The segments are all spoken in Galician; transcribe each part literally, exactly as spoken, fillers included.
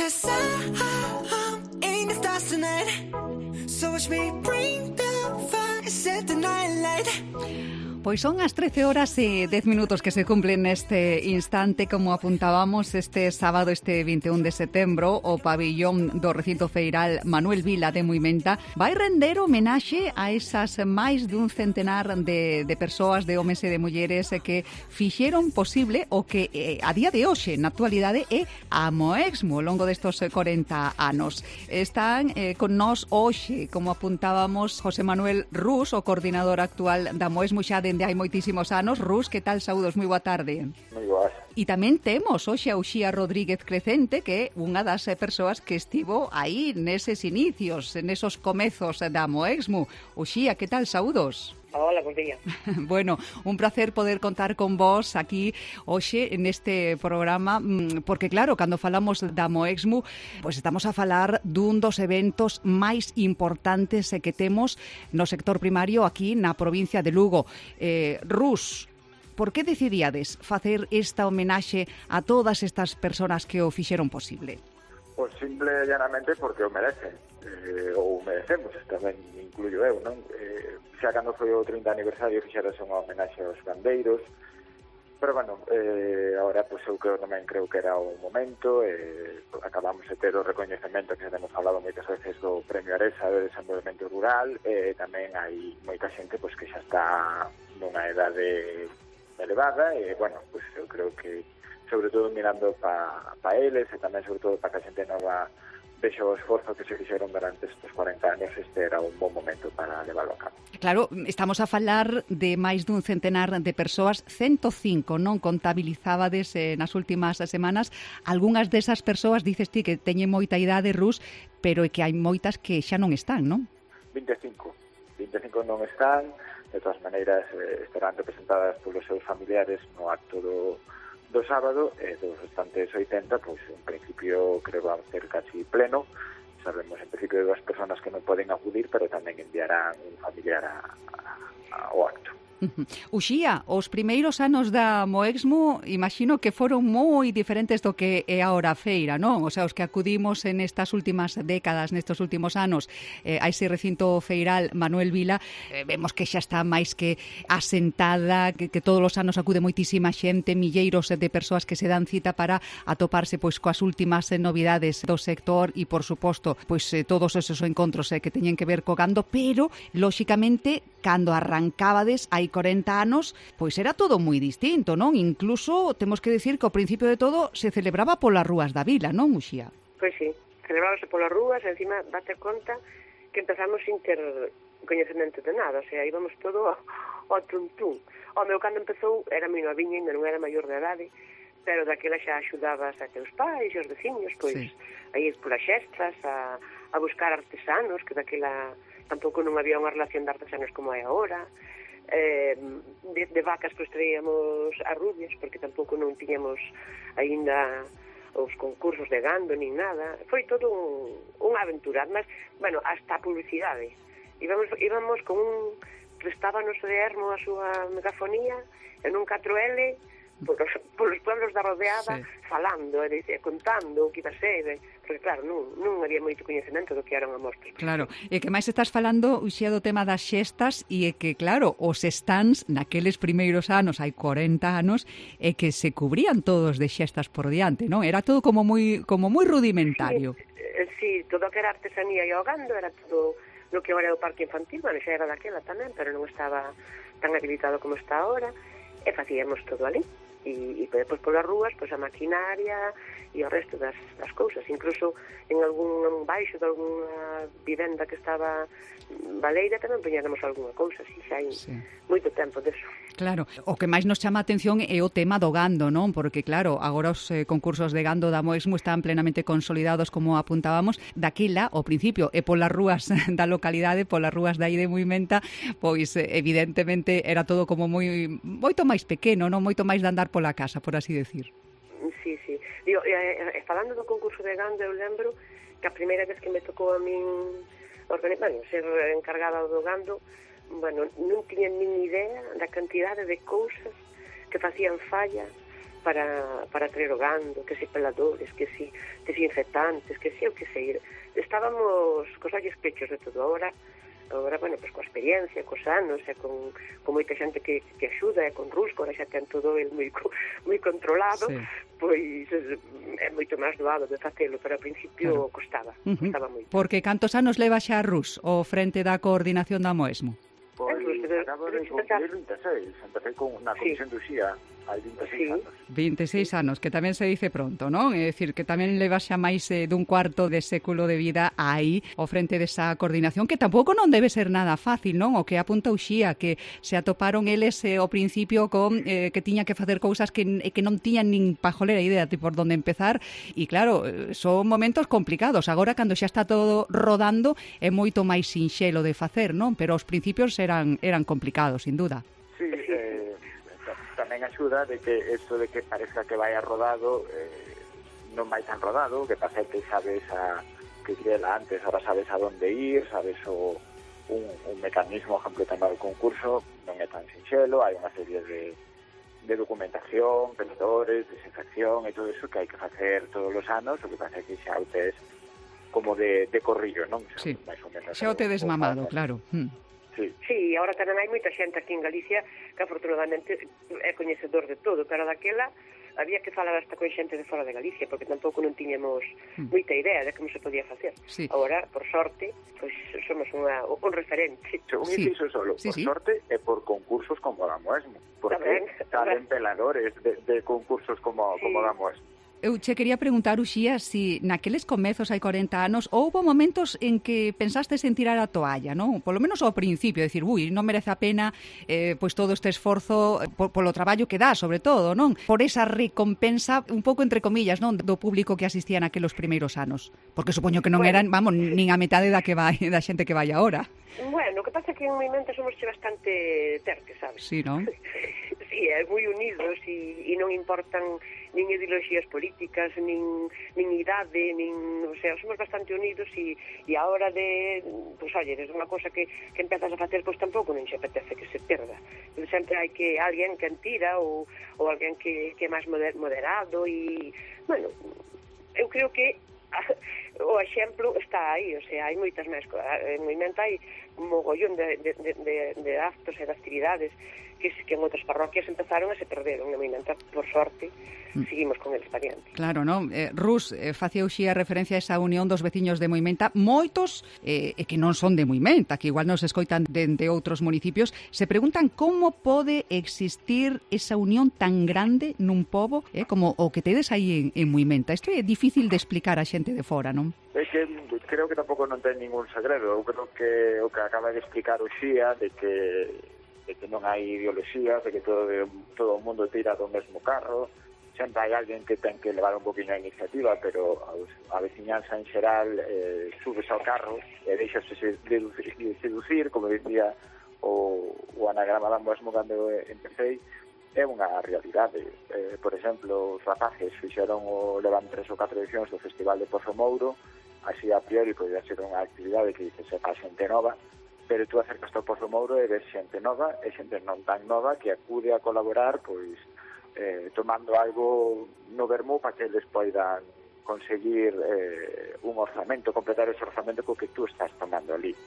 'cause I'm in the stars tonight. So watch me bring the fire, set the night light. Pois son as trece horas e dez minutos que se cumplen neste instante, como apuntábamos este sábado, este vinte e un de setembro, o pabillón do recinto feiral Manuel Vila de Muimenta vai render homenaxe a esas máis dun centenar de, de persoas, de homes e de mulleres que fixeron posible o que eh, a día de hoxe, na actualidade, é a Moexmo ao longo destos corenta anos. Están eh, con nós hoxe, como apuntábamos, José Manuel Rus, o coordinador actual da Moexmo xa de de hai moitísimos anos. Rus, que tal? Saúdos, moi boa tarde. Moi boas. E tamén temos hoxe a Uxía Rodríguez Crecente, que é unha das persoas que estivo aí neses inicios, nesos comezos da Moexmo. Uxía, que tal? Saúdos. Hola, buen día. Bueno, un placer poder contar con vos aquí hoxe neste programa, porque claro, cando falamos da Moexmo, pois estamos a falar dun dos eventos máis importantes que temos no sector primario aquí na provincia de Lugo. Eh, Rus, por que decidíades facer esta homenaxe a todas estas persoas que o fixeron posible? Pois simple e llanamente porque o merecen, eh, ou merecemos, tamén incluyo eu, non? Eh, xa cando foi o trinta aniversario fixeras unha homenaxe aos gandeiros, pero bueno, eh, agora pois eu creo, tamén creo que era o momento, eh, acabamos de ter o recoñecemento que temos falado moitas veces do Premio Aresa de Desenvolvemento Rural, e eh, tamén hai moita xente pois que xa está nunha edade elevada, e bueno, pois eu creo que sobre todo mirando para pa eles e tamén sobre todo para que a xente nova vexe o esforzo que se fixeron durante estes cuarenta anos, este era un bon momento para levarlo a cabo. Claro, estamos a falar de máis dun centenar de persoas, cento cinco, non contabilizábades eh, nas últimas semanas. Algúnas desas persoas, dices ti, que teñen moita idade, Rus, pero é que hai moitas que xa non están, non? vinte e cinco. vinte e cinco non están, de todas maneiras eh, estarán representadas polos seus familiares no acto do do sábado, e dos restantes oitenta, pois en principio creo que va a ser casi pleno. Sabemos en principio de dúas persoas que non poden acudir, pero tamén enviarán un familiar a, a, ao acto. Uxía, os primeiros anos da Moexmo imagino que foron moi diferentes do que é agora a feira, non? O sea, os que acudimos en estas últimas décadas, nestes últimos anos, eh, a ese recinto feiral Manuel Vila, eh, vemos que xa está máis que asentada, que, que todos os anos acude moitísima xente, milleiros de persoas que se dan cita para atoparse pois coas últimas eh, novidades do sector e, por suposto, pois eh, todos esos encontros eh, que teñen que ver co gando, pero, lóxicamente, cando arrancábades hai corenta anos, pois era todo moi distinto, non? Incluso temos que decir que ao principio de todo se celebraba polas rúas da vila, non, Uxía? Pois sí, celebrábase polas rúas, e encima date conta que empezamos sin ter coñecemento de nada, o sea, íbamos todo ao, ao tuntún. O meu cando empezou era moi noviña, ainda non era maior de edade, pero daquela xa axudabas a teus pais e os veciños, pois, sí, a ir polas xestras, a, a buscar artesanos, que daquela tampouco non había unha relación de artesanos como hai agora. Eh, de, de vacas pois traíamos a rubias, porque tampouco non tiñamos aínda os concursos de gando nin nada. Foi todo un, unha aventura, mas, bueno, hasta a publicidade. Íbamos, íbamos con un, prestábanos de Ermo a súa megafonía en un catro ele polos, polos pueblos da rodeada, sí, falando e contando o que iba a ser, porque claro, non, non había moito coñecemento do que eran a mostras. Claro, e que máis estás falando, Uxía, do tema das xestas, e é que claro, os stands naqueles primeiros anos, hai corenta anos, é que se cubrían todos de xestas por diante, non? Era todo como moi como moi rudimentario. Sí, sí, todo o que era artesanía e o gando era todo no que agora é o parque infantil, bueno, xa era daquela tamén, pero non estaba tan habilitado como está agora, e facíamos todo ali. E, e depois polas rúas, pois a maquinaria e o resto das, das cousas, incluso en algún baixo de alguna vivenda que estaba baleira tamén poñéramos algunha cousa, así xa hai, sí, moito tempo deso. Claro, o que máis nos chama a atención é o tema do gando, non? Porque claro, agora os eh, concursos de gando da Moexmo están plenamente consolidados, como apuntábamos. Daquela, ao principio, e polas rúas da localidade, polas rúas da aí de Muimenta, pois evidentemente era todo como moi moito máis pequeno, non? Moito máis de andar pola casa, por así decir. Sí, sí. Digo, eh, falando do concurso de gando, eu lembro que a primeira vez que me tocou a min organizar, bueno, ser encargada do gando, bueno, non tiña nin idea da cantidade de cousas que facían falla para, para traer o gando, que si peladores, que si desinfectantes, que si, o que sei. Estábamos cos ollos pechos de todo. Agora, agora, bueno, pues coa experiencia, cos anos, e con, con moita xente que, que axuda, e con Rusco, agora xa ten todo el moi, moi controlado, sí. Pois é moito máis doado de facelo, pero ao principio claro. costaba, uh-huh. costaba moito. Porque cantos anos leva xa Rus ao frente da coordinación da Moesmo? Pois acabo de cumplir vinte e seis, empecé con unha comisión sí. de Uxía hai vinte e seis sí. anos. vinte e seis anos, que tamén se dice pronto, non? É dicir, que tamén leva xa máis eh, dun cuarto de século de vida aí ao frente desa coordinación, que tampouco non debe ser nada fácil, non? O que apunta Uxía, que se atoparon eles eh, ao principio con eh, que tiña que facer cousas que, que non tiñan nin pajolera idea de por onde empezar, e claro, son momentos complicados. Agora, cando xa está todo rodando, é moito máis sinxelo de facer, non? Pero aos principios eran, eran complicados, sin duda. Sí, eh, tamén axuda de que isto de que parezca que vai a rodado eh, non vai tan rodado, que pasa que sabes a que era antes, ahora sabes a donde ir, sabes o, un, un mecanismo, por exemplo, tamén do concurso non é tan sinxelo, hai unha serie de, de documentación, pensadores, desinfección e todo eso que hai que facer todos os anos, o que pasa que xa o tes como de, de corrillo, non? Sí, máis ou menos, xa o tedes mamado, claro. Hmm. Sí. sí, agora tamén hai moita xente aquí en Galicia que afortunadamente é coñecedor de todo, pero daquela había que falar hasta con xente de fora de Galicia, porque tampouco non tiñamos mm. moita idea de como se podía facer. Sí. Agora, por sorte, pois pues, somos unha, un referente. Un sí. inciso solo, sí, por sí. sorte e por concursos como o da Moesmo, porque salen peladores de, de concursos como, sí. como o da Moesmo. Eu che quería preguntar, Uxía, si naqueles comezos hai corenta anos houbo momentos en que pensastes en tirar a toalla, non? Polo menos ao principio, decir, ui, non merece a pena eh, pois todo este esforzo por, polo traballo que dá, sobre todo, non? Por esa recompensa, un pouco entre comillas, non? Do público que asistía naquelos primeiros anos. Porque supoño que non bueno. eran, vamos, nin a metade da que vai da xente que vai agora. Bueno, o que pasa é que en movimento somos che bastante terques, sabes? Sí, non? Sí, é moi unidos e, e non importan nin ideoloxías políticas, nin, nin idade, nin, o sea, somos bastante unidos e, e a hora de, pois, pues, oye, desde unha cosa que, que empezas a facer, pois pues, tampouco non se apetece que se perda. Sempre hai que alguén que entira ou, ou alguén que, que é máis moderado e, bueno, eu creo que o exemplo está aí, o sea, hai moitas máis cousas. En movimento hai un mogollón de, de, de, de actos e de actividades que, que en outras parroquias empezaron a se perderon. En movimento, por sorte, seguimos con eles variante. Claro, non? Eh, Rus, eh, facía Uxía referencia a esa unión dos veciños de Moimenta, moitos eh, que non son de Moimenta, que igual nos escoitan de, de outros municipios, se preguntan como pode existir esa unión tan grande nun pobo eh, como o que tedes aí en, en Moimenta. Isto é difícil de explicar a xente de fora, non? É que creo que tampouco non ten ningún segredo. Eu creo que o que acaba de explicar Uxía de que de que non hai ideoloxías, de que todo, todo o mundo tira do mesmo carro, sempre hai alguén que ten que levar un poquinho a iniciativa, pero a veciñanza en xeral eh, subes ao carro e deixase seducir, seducir, como dicía o, o anagrama da Moesmo cando empecé, é unha realidade. Eh, por exemplo, os rapaces fixeron o levan tres ou catro edicións do Festival de Pozo Mouro, así a priori podría ser unha actividade que dice sepa xente nova, pero tú acercas ao Pozo Mouro e ves xente nova e xente non tan nova que acude a colaborar pois eh, tomando algo no vermú para que eles poidan conseguir eh, un orzamento, completar ese orzamento co que tú estás tomando ali.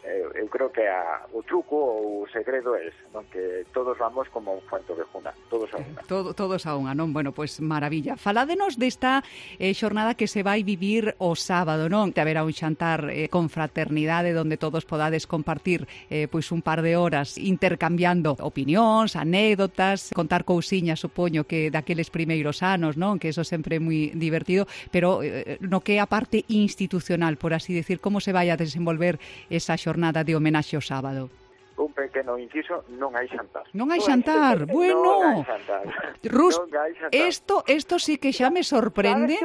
Eh, eu creo que a, o truco ou o segredo é non que todos vamos como un fuento de juna, todos a unha. Todo, todos a unha, non? Bueno, pois pues, maravilla. Faládenos desta eh, xornada que se vai vivir o sábado, non? Te haberá un xantar eh, con fraternidade onde todos podades compartir eh, pois un par de horas intercambiando opinións, anécdotas, contar cousiñas, supoño que daqueles primeiros anos, non? Que eso sempre é moi divertido, pero eh, no que é a parte institucional, por así decir, como se vai a desenvolver esa xornada jornada de homenaxe ao sábado. Un pequeno inciso, non hai xantar. Non hai xantar, non bueno. Non hai xantar. Rus, non hai xantar. Esto, esto sí que xa me sorprende.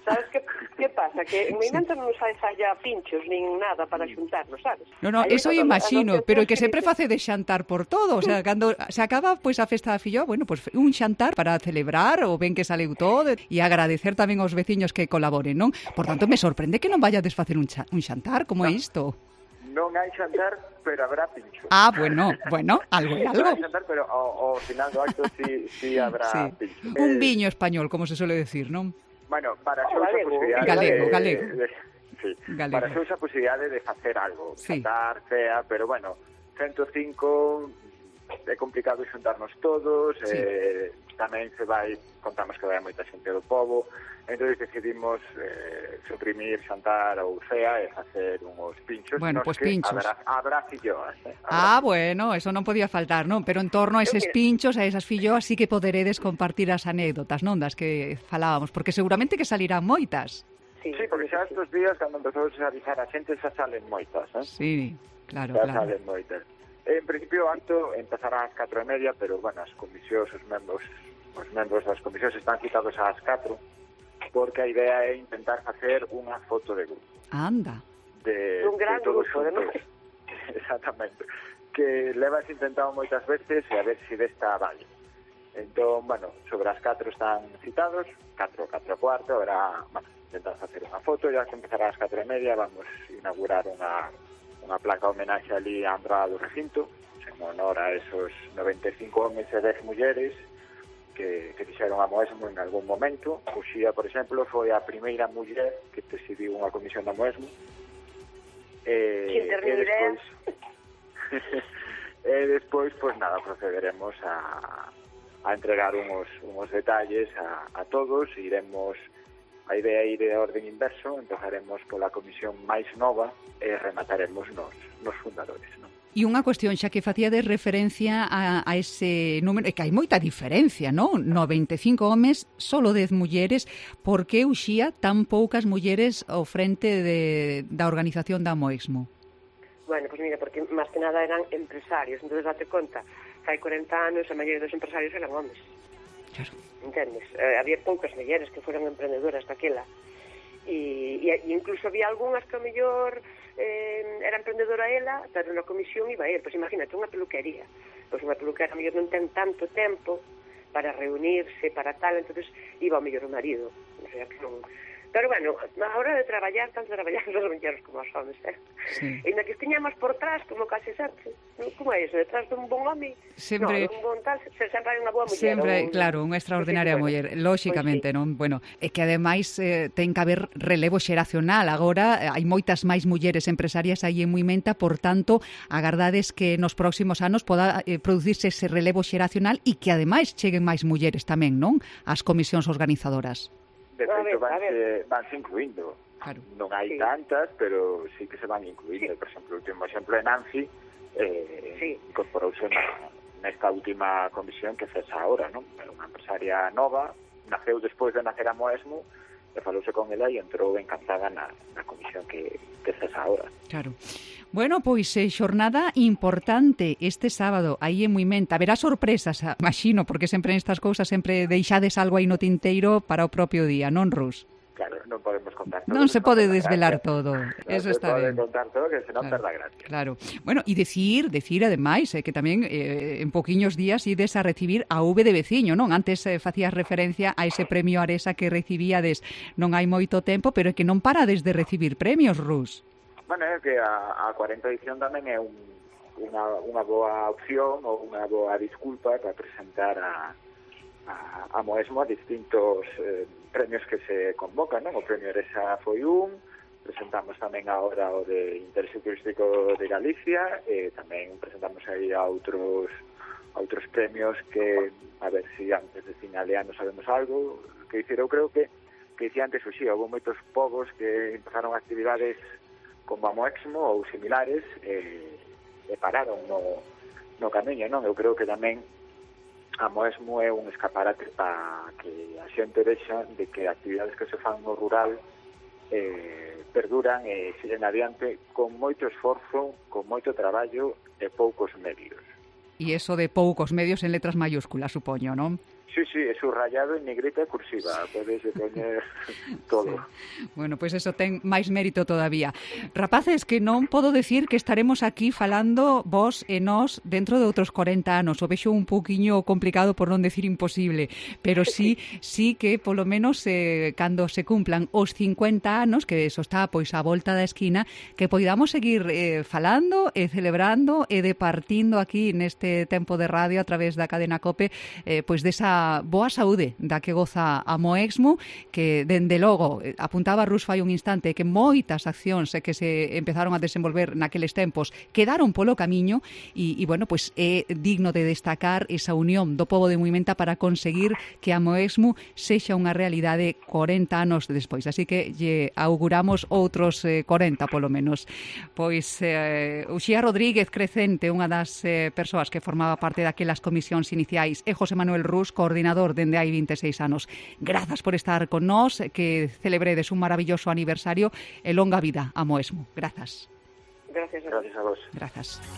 Sabes que, que pasa? Que en Moimenta non sai falla pinchos nin nada para xuntarnos, sabes? No, no, eso eu imagino, pero que sempre face de xantar por todo. O sea, cando se acaba pois a festa da filloa, bueno, pois un xantar para celebrar o ben que saleu todo e agradecer tamén aos veciños que colaboren, non? Por tanto, me sorprende que non vaya a desfacer un, xa, un xantar, como é isto? Non hai xantar, pero habrá pincho. Ah, bueno, bueno, algo e algo. Non hai xantar, pero ao, ao final do acto sí, sí habrá sí. pincho. Un Eh, viño español, como se suele decir, non? Bueno, para Oh, xeus a galego. posibilidade Galego, de, galego. de, sí, Galego. para xeus a posibilidade de facer algo, Sí. xantar, cea, pero bueno, ciento cinco é complicado xuntarnos todos, Sí. eh, tamén se vai, contamos que vai moita xente do pobo, entón decidimos eh, suprimir xantar ou cea e facer unhos pinchos. Bueno, nos pues que pinchos. Habrá, habrá filloas. Eh? Ah, bueno, eso non podía faltar, non? Pero en torno a eses Eu que- pinchos, a esas filloas, sí que poderedes compartir as anécdotas, non? Das que falábamos, porque seguramente que salirán moitas. Sí, Sí, porque xa estes días, cando empezou a avisar a xente, xa salen moitas, eh? Sí, claro, xa claro. salen moitas. En principio, o acto empezará ás catro e media, pero, bueno, as comisións, os membros, os membros das comisións están citados ás catro, porque a idea é intentar facer unha foto de grupo. Anda. De, Un gran de todos grupo, xuntos. además. Exactamente. Que levas intentado moitas veces e a ver se desta vale. Entón, bueno, sobre as catro están citados, catro, catro e cuarto, ahora, bueno, intentar facer unha foto, ya que empezará ás catro e media, vamos a inaugurar unha, unha placa homenaxe ali á entrada do recinto, en honor a esos noventa e cinco homes e dez mulleres que, que fixeron a Moesmo en algún momento. Uxía, por exemplo, foi a primeira muller que presidiu unha comisión da Moesmo. E, Que eternidade. e despois e despois, pois nada, procederemos a, a entregar uns, uns detalles a, a todos, iremos. A idea é ir de orden inverso, empezaremos pola comisión máis nova e remataremos nos, nos fundadores, non? E unha cuestión, xa que facía de referencia a, a ese número, é que hai moita diferencia, non? noventa e cinco homes, solo dez mulleres, por que Uxía tan poucas mulleres ao frente de, da organización da Moexmo? Bueno, pues mira, porque máis que nada eran empresarios, entonces date conta, fai corenta anos a maioría dos empresarios eran homes. Claro. Entendes? Eh, había poucas mulleres que foran emprendedoras daquela. E, e, e incluso había algunhas que ao mellor eh, era emprendedora ela, pero na comisión iba el. Pois imagínate, unha peluquería. Pois unha peluquera ao mellor non ten tanto tempo para reunirse, para tal, entonces iba ao mellor o marido. O sea, que non... Pero bueno, a hora de traballar, tanto traballamos os mulleres como os homes, eh? Sí. E na que estiñamos por trás, como case sempre. Como é iso? Detrás dun bon home? Sempre- No, dun bon tal, se- sempre hai unha boa muller. Sempre, un- claro, unha extraordinaria Pois sí, muller, bueno, lóxicamente, pois sí. non? Bueno, é que ademais eh, ten que haber relevo xeracional. Agora eh, hai moitas máis mulleres empresarias aí en Muimenta, por tanto, agardades que nos próximos anos poda eh, producirse ese relevo xeracional e que ademais cheguen máis mulleres tamén, non? As comisións organizadoras. De A ver, feito, a vanse, vanse incluindo. Claro. Non hai Sí. tantas, pero sí que se van incluindo. Sí. Por exemplo, o último exemplo é Nancy, eh, Sí. incorporouse na, nesta última comisión que cesa ahora, non? É unha empresaria nova, naceu despois de nacer a Moesmo, e falouse con ela e entrou encantada na, na comisión que, que cesa ahora. Claro. Bueno, pois eh, xornada importante este sábado aí en Muimenta. Haberá sorpresas, ah, imagino, porque sempre nestas cousas sempre deixades algo aí no tinteiro para o propio día, non, Rus? Claro, non podemos contar todo. Non se pode perda desvelar gracia. todo. Non Eso se está pode ben. contar todo, que senón Claro, perda gracia. claro. Bueno, e decir, decir ademais, eh, que tamén eh, en poquiños días ides a recibir a V de veciño, non? Antes eh, facías referencia a ese premio Aresa que recibíades non hai moito tempo, pero é que non parades de recibir premios, Rus. Bueno, é que a, a cuarenta edición tamén é un, unha, unha boa opción ou unha boa disculpa para presentar a, a, a Moesmo a distintos eh, premios que se convocan, non? O premio Aresa foi un, presentamos tamén agora o de Interese Turístico de Galicia, e tamén presentamos aí a outros a outros premios que, a ver se si antes de finaleano sabemos algo, que dicir, eu creo que que dicía antes, o xía, houve moitos povos que empezaron actividades como a Moexmo ou similares e, e pararon no, no camiño, non? Eu creo que tamén a Moexmo é un escaparate para que a xente vexa de que actividades que se fan no rural eh, perduran e siguen adiante con moito esforzo, con moito traballo e poucos medios. E eso de poucos medios en letras mayúsculas, supoño, non? Sí, sí, é subrayado en negrita e cursiva, podes poñer todo. Sí. Bueno, pois pues eso ten máis mérito todavía. Rapaces, que non podo decir que estaremos aquí falando vos e nós dentro de outros corenta anos. O vexo un pouquiño complicado, por non decir imposible, pero sí, sí que polo menos eh, cando se cumplan os cincuenta anos, que eso está pois á volta da esquina, que poidamos seguir eh, falando e celebrando e departindo aquí neste tempo de radio a través da cadena COPE eh, pois desa boa saúde da que goza a Moexmo, que dende logo apuntaba Rus fai un instante que moitas accións que se empezaron a desenvolver naqueles tempos quedaron polo camiño e, e bueno, pois é digno de destacar esa unión do pobo de Muimenta para conseguir que a Moexmo sexa unha realidade corenta anos despois, así que lle auguramos outros eh, corenta polo menos. Pois eh, Uxía Rodríguez Crecente, unha das eh, persoas que formaba parte daquelas comisións iniciais, e José Manuel Rus, coordinador dende hai vinte e seis anos. Grazas por estar con nós, que celebredes un maravilloso aniversario e longa vida a Moexmo. Grazas. Gracias a vos. Gracias a vos. Grazas.